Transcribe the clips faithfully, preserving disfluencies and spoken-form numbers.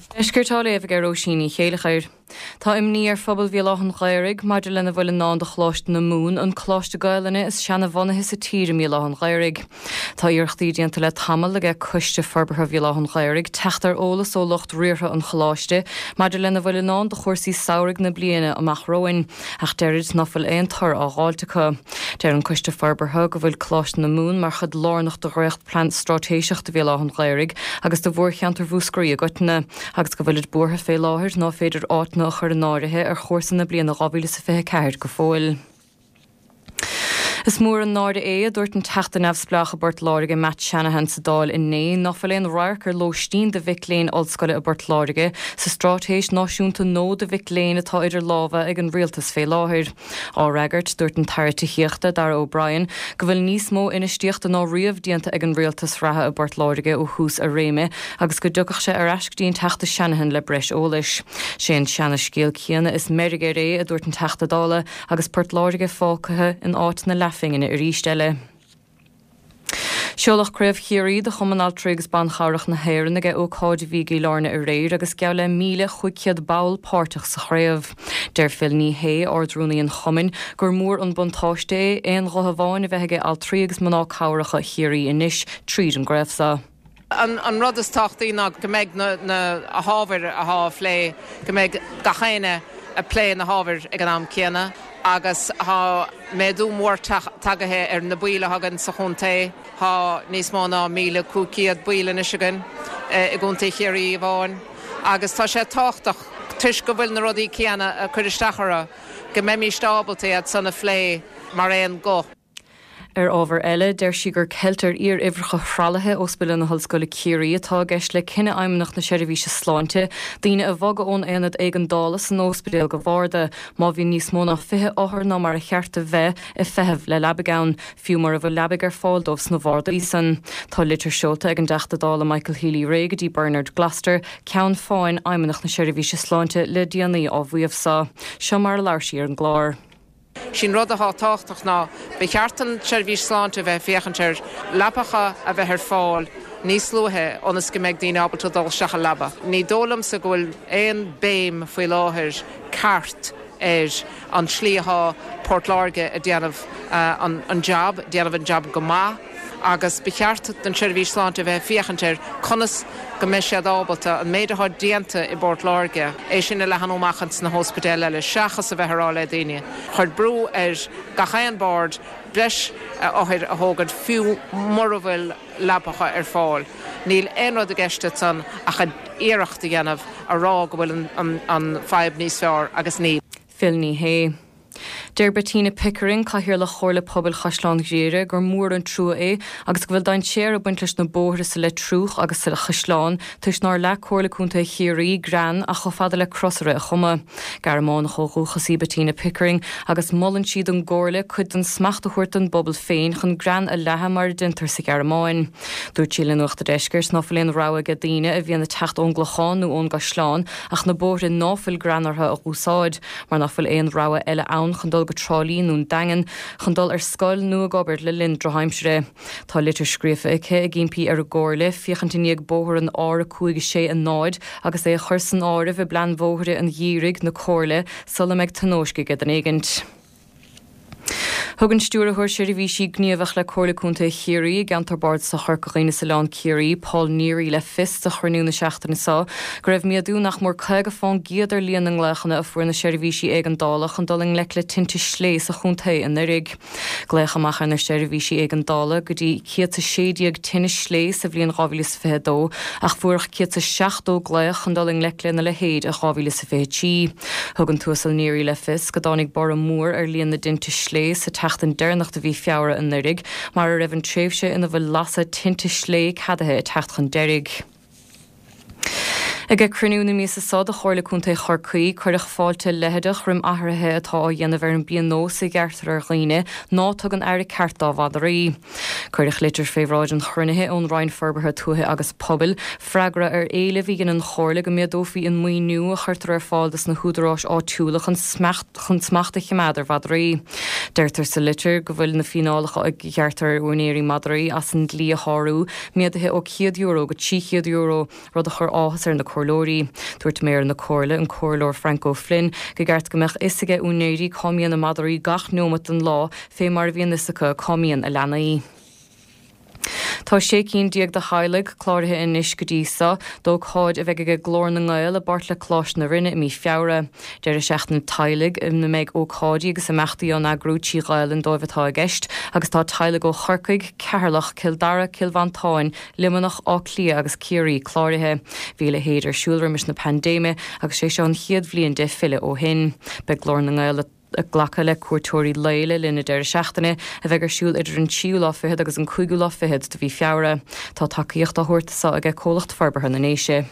Deisceart á léamh ag Róisín Ní Chéileachair. Tá imní ar phobal Bhéal Átha an Ghaorthaidh maidir lena bhfuil i ndán do Choláiste na Mumhan, an coláiste Gaelainne is seana-bhunaithe sa tír i mBéal Átha an Ghaorthaidh. Tá iarrachtaí déanta le tamall ag Coiste Forbartha Bhéal Átha an Ghaorthaidh teacht ar eolas ó lucht riartha an choláiste maidir lena bhfuil i ndán do chúrsaí samhraidh na bliana amach romhainn, ach deirid ná fuil aon toradh á dh'fháilt acu. Deir an Coiste Forbartha go bhfuil Coláiste na Mumhan mar chuid lárnach de dhréachtphlean straitéiseach do Bhéal Átha an Ghaorthaidh agus do mhórcheantar Mhúscraí i gcoitinne, agus go bhfuilid buartha fé láthair ná féidir áiteanna a chur in áirithe ar chúrsa na bliana dhá mhíle is a fiche ceathair go fóill. Is mór an náire é a dúirt an Teachta Neamhspleách i bPort Láirge Matt Shanahan sa Dáil inné ná fuil aon radharc ar lóistín do mhic léinn ollscoile i bPort Láirge sa straitéis náisiúnta nua do mhic léinn atá idir lámha ag an rialtas fé láthair. Á fhreagairt dúirt an tAire Tithíochta Darragh O'Brien go bhfuil níos mó infheistíochta ná riamh déanta ag an rialtas reatha i bPort Láirge ó thús a réime agus go dtiocfadh sé ar ais go dtí an Teachta Shanahan le breis eolais. Sé an seana-scéal céanna is meirg air é a dúirt an Teachta Dála agus Port Láirge fágtha in áit na leathphingine arís eile. Seoladh Craobh Chiarraí de Chumann Altraí agus Ban Cabhrach na hÉireann ag ócáid a bhí i gCill Airne aréir agus geall le míle chúig chéad ball páirteach sa chraobh. Deir Phil Ní Sheaghdha Ard-Rúnaí an Chumainn gur mór an buntáiste é aon ghuth amháin a bheith ag altraí agus mná cabhracha Chiarraí anois tríd an gcraobh seo. An, an rud is tábhachtaí ná go mbeidh na, na hábhair atá á phlé, go mbeidh gach éinne ag plé na hábhair ag an am céanna agus tá méadú mór tagaithe ar na baill a thagann sa chontae tá níos mó ná míle cúig chéad ball anois againn i gContae Chiarraí amháin agus tá sé tábhachtach toisc go bhfuil na rudaí céanna ag cur isteach orthu go mbeimís ábalta iad san a phlé mar aon ghuth. Ar ábhar eile, deir sí gur ceilt ar fhíoruimhreacha thralaithe Ospidéal na hOllscoile Ciarraí atá i gceist le cinneadh Fheidhmeannacht na Seirbhíse Sláinte, daoine a bhogadh ón aonad éigeandála san ospidéal go barda, má bhíonn níos mó ná fiche othar ná mar a cheart a bheith ag feitheamh le leabaidh ann, fiú mura bhfuil leabaidh ar fáil dóibh sna bardaí san. Tá litir seolta ag an dTeachta Dála Michael Healy-Rae go dtí Bernard Gloster, ceann feadhain Fheidhmeannacht na Seirbhíse Sláinte le déanaí á mhaíomh seo. Seo mar a labhair sí ar an gclár. Sin rud atá tábhachtach ná ba cheart an tseirbhís sláinte bheith féachaint ar leapacha a bheith ar fáil níos luaithe ionas go mbeidh daoine ábalta dul isteach i leaba. Ní dóigh liomsa go bhfuil aon béim faoi láthair ceart ar an tslí atá Port Láirge ag déanamh an, an job, déanamh an job go maith agus ba cheart don tseirbhís sláinte bheith féachaint ar conas go mbeidh siad ábalta an méid atá déanta i bPort Láirge é sin a leathnú amach sna hospidéil eile seachas a bheith ag rá le daoine. Chuir brú ar gach aon bord breis othair a thógáil fiú mura bhfuil leapacha ar fáil. Níl aon rud i gceist san ach iarracht a dhéanamh a rá go bhfuil an, an, an fadhb níos fearr agus ní. Phil Ní Sheaghdha. Deir Bettina Pickering Cathaoirleach Chomhairle Pobail Chaisleán Ghriaire gur mór an trua é agus go bhfuil dainséar ag baint leis na bóithre sa Leitriúch agus sa Chaisleán toisc nár leag Comhairle Contae Chiarraí grean ach chomh fada le crosaire a chumadh. Gearmánach ó dhúchas í Bettina Pickering agus molann sí don gComhairle cuid den smacht a thabhairt don bpobal féin chun grean a leathadh mar a déantar sa Ghearmáin. Dúirt sí le Nuacht an Deiscirt ná fuil aon rogha ag daoine a bhíonn ag teacht ón gClochán nó ón gCaisleán ach na bóithre ná fuil grean orthu a úsáid, mar ná fuil aon rogha eile ann chun dul go Trá Lí nó an Daingean chun dul ar scoil nó ag obair le linn drochaimsire. Tá litir scríofa aici ag impí ar an gComhairle féachaint i ndiaidh bóthar an R a cúig sé a náid agus é a chur san áireamh i bplean bóithre an gheimhridh na Comhairle sula mbeidh tionóisc ag an éigint. Thug an Stiúrthóir Seirbhísí Gníomhach le Comhairle Contae Chiarraí i gceantar Bardasach Chorca Dhuibhne is Oileán Ciarraí, Paul Neary le fios do chruinniú na seachtaine seo go raibh méadú nach mór caoga faoin gcéad ar líon na nglaochanna a fuair na seirbhísí éigeandála chun dul i ngleic le tinte slé sa chontae anuraidh. Glaodh amach ar na seirbhísí éigeandála go dtí céad is sé déag tine slé sa bhliain dhá mhíle is fiche dó ach fuaireadh céad is seachtó glaoch chun dul i ngleic lena leithéid i dhá mhíle is fiche trí. Thug an tUasal Neary le fios go dtáinig borradh mór ar líon na dtinte slé sa tseachtain deireanach de mhí Feabhra anuraidh, mar a raibh an tréimhse ina bhfuil lasadh tinte slé ceadaithe ag teacht chun deiridh. Ag cruinniú na míosa seo de Chomhairle Contae Chorcaí, cuireadh fáilte leitheadach roimh athruithe atá á dhéanamh ar an bpionós a ghearrtar ar dhaoine ná tugann aire ceart dá mhadraí. Cuireadh litir fé bhráid an chruinnithe ón Roinn Forbartha Tuaithe agus Pobail, freagra ar éileamh a dhein an Chomhairle go méadófaí an maoiniú a chuirtear ar fáil dos na húdaráis áitiúla chun smacht chun smacht a choimeád ar mhadraí. Deirtear sa litir go bhfuil na fíneálacha a ghearrtar ar úinéirí madraí as an dlí a shárú méadaithe ó céad euro go trí chéad euro, rud a chuir áthas ar na comhairleoirí. Dúirt méara na Comhairle an Comhairleoir Frank O'Flynn gur cheart go mbeadh fhios ag úinéirí cá mbíonn a madraí gach nóiméad den lá fé mar a bhíonn fhios acu cá mbíonn a leanaí. Tá sé cinn déag de theaghlaigh cláraithe anois go dtí seo, d'ócáid a bheidh ag Glór na nGael i bpáirt le Coláiste na Rinne i mí Feabhra. Deireadh seachtaine teaghlaigh ina mbeidh ócáidí agus imeachtaí á n-eagrú trí Ghaelainn dóibh atá i gceist, agus tá teaghlaigh ó Chorcaigh, Ceatharlach, Cill Dara, Cill Mhantáin, Luimneach, Áth Cliath agus Ciarraí cláraithe. Bhí a leithéid ar siúl roimis na paindéime agus sé seo an chéad bhliain de filleadh ó shin. Beidh Glór na nGael ag glacadh le cuairteoirí lae le linn na deireadh seachtaine a bheidh ar siúl idir an tríú lá fichead agus an cúigiú lá fichead de mhí Feabhra. Tá tacaíocht á thabhairt seo ag Comhlacht Forbartha na nDéise.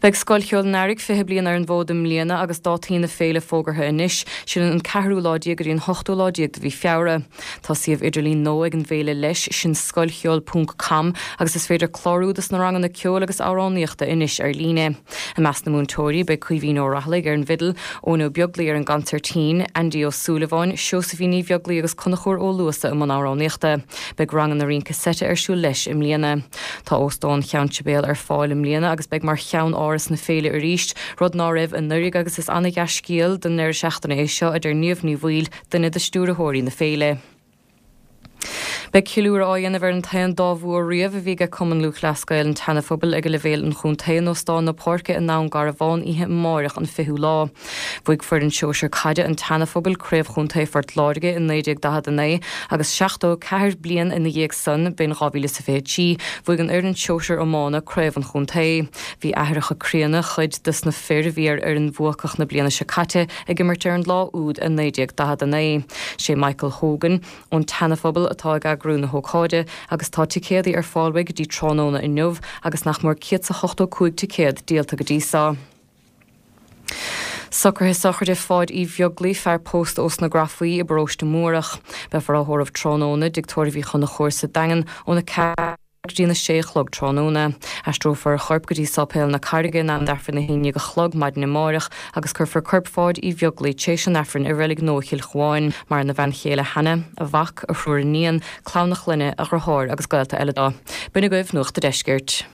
Beidh Scoil Cheoil an Earraigh fiche bliain ar an bhfód i mbliana agus dátaí na féile fógartha anois, sin an ceathrú lá déag go dtí an hochtú lá déag de mhí Feabhra. Tá suíomh idirlín nua ag an bhféile leis, sin scoilcheoil ponc com agus is féidir clárú dos na ranganna ceoil agus amhránaíochta anois ar líne. I measc na múinteoirí beidh Caoimhín Ó Raghallaigh ar an bhfidil, Eoin Ó Beaglaoi ar an gconsairtín, Andy Ó Súilleabháin, Seosaimhín Ní Bheaglaoi agus Conchúr Ó Luasa i mbun amhránaíochta. Beidh ranganna rince seite ar siúl leis i mbliana. Tá Óstán Cheann Sibéal ar fáil i mbliana agus beidh mar cheann-áras na féile arís, rud ná raibh anuraidh agus is ana-dhea-scéal don ndeireadh seachtaine é seo a deir Niamh Ní Bhaoill, duine de stiúrthóirí na féile. Beidh ceiliúradh á dhéanamh ar an t-aon dá bhua riamh a bhí ag Cumann Lúthchleas Gael an tSeana-Phobail ag leibhéal an chontae in Óstán na Páirce i nDún Garbhán oíche amárach an fichiú lá. Bhuaigh foireann sóisir caide an tSeana-Phobail Craobh Chontae Phort Láirge in naoi déag daichead a naoi agus seachtó ceathair bliain ina dhiaidh san, b'in dhá mhíle is a fiche trí, bhuaigh an fhoireann sóisir iomána Craobh an Chontae. Bhí aithreacha críonna chuid dos na fir a bhí ar fhoireann bhuacach na bliana seo caite ag imirt ar an lá úd i naoi déag daichead a naoi. Sé Michael Hogan ón tSeana-Phobal atá ag eagrú na hócáide agus tá ticéadaí ar fáil go dtí tráthnóna inniu agus nach mór céad is a hochtó cúig ticéad díolta go dtí seo. Socruithe sochraide Pháid Uí Bheaglaoi, fear pósta ós na Grafaí i bparóiste Múrach. Beifear á thórramh tráthnóna i dtigh tórraimh Uí Chonchúir sa Daingean óna ceathair go dtí na sé a chlog tráthnóna. Aistreofar a chorp go dtí Sáipéal na Carraige in am d'Aifreann a haon déag a chlog maidin amárach agus cuirfear corp Pháid Uí Bheaglaoi tar éis an Aifrinn i reilig nua Chill Chuáin. Maireann a bhean chéile Hannah, a mhac, a thriúr iníon, clann a chlainne, a dheartháir agus gaolta eile dó. B'in agaibh Nuacht an Deiscirt.